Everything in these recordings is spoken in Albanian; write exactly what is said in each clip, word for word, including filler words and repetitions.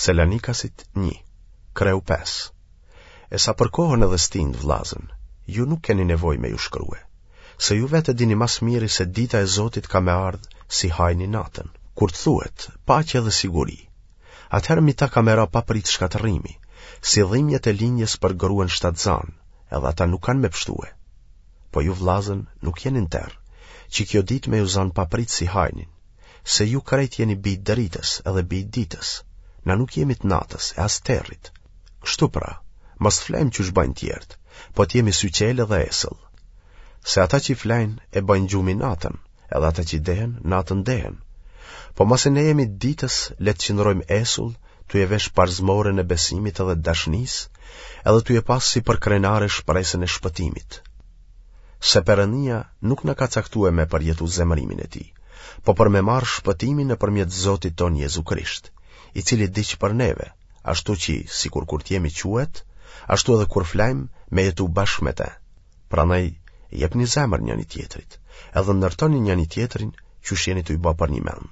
Selanikasit një, kreu pesë. E sa për kohën edhe stinët, vllazën, ju nuk keni nevojë me ju shkrue, se ju vetë e dini ma s'miri se dita e Zotit ka me ardhë si hajni natën. Kur të thuhet, paqe dhe siguri, atëherë mi ta ka me ra papritë shkatërrimi, si dhimjet e lindjes për gruen shtatzanë, edhe ata nuk kanë me pshtue. Po ju vllazën nuk jeni në terr, që kjo ditë me ju zanë papritë si hajnin, se ju krejt jeni bij t'dritës edhe bij t'ditës, na nuk jemi të natës e as territ. Kështu pra, mos të flejmë qysh bajnë tjerët, po të jemi syqelë edhe esëll. Se ata që flejnë e bajnë gjumin natën, edhe ata që dehen, natën dehen. Po masi ne jemi të ditës, le të qëndrojmë esull, tu e vesh parzmoren e besimit edhe të dashnisë, edhe tu e pas si përkrenare shpresën e shpëtimit. Se Perëndia nuk na ka caktue me përjetu zemërimin e tij, po për me marrë shpëtimin nëpërmjet Zotit tonë Jezu Krisht, i cili vdiq për neve, ashtu që, sikur kur të jemi quhet, ashtu edhe kur flajmë, me jetu bashkë me te. Prandaj, jepni zemër njëni-tjetrit, edhe ndërtoni njëni-tjetrin, qysh jeni tu i ba përnjëmend.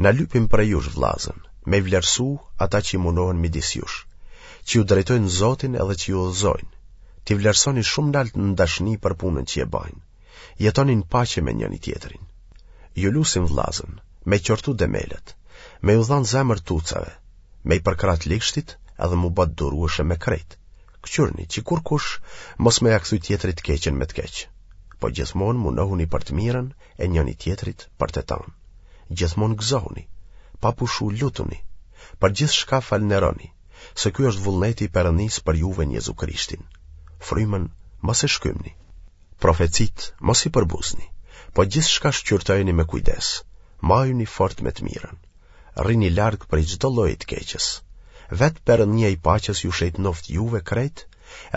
Na lypim prej jush, vllazën, me i vlerësu ata që munohen midis jush, që ju drejtojnë Zotin edhe që ju udhëzojnë, t'i vlerësoni shumë nalt në dashni për punën që e bajnë. Jetoni në paqe me njëni-tjetrin. Ju lusim vllazën, me i qortu demelët, me ju dhanë zemër tucave, me i përkrah të ligshtit edhe m'u ba të durueshëm me krejt. Këqyrni që kurkush mos me ja kthy tjetrit të keqen me të keq, po gjithmonë munohuni për të mirën e njëni-tjetrit për të tanë. Gjithmonë gëzohuni, pa pushu lutuni, për gjithçka falënderoni, se ky është vullneti i Perëndisë për juve në Jezu Krishtin. Frymën mos e shkymni. Profecitë mos i përbuzni, po gjithçka shqyrtojeni me kujdes, majuni fort me të mirën. Rrini larg prej çdo lloji të keqes. Vetë Perëndia i paqes ju shejtnoftë juve krejt,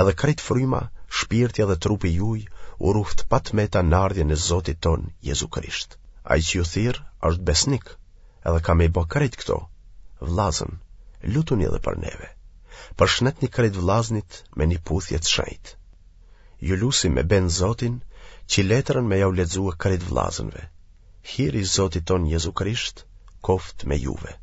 edhe krejt fryma, shpirti edhe trupi juj u ruft pa të meta në ardhjen e Zotit tonë Jezu Krisht. Ai që ju thirr është besnik, edhe ka me i bë krejt këto. Vllazën, lutuni edhe për neve. Përshnetni krejt vllaznit me një puthje të shenjtë. Ju lusim me be n'Zotin që letrën me jau lexue krejt vllazënve. Hiri i Zotit tonë Jezu Krisht, koftë me juve.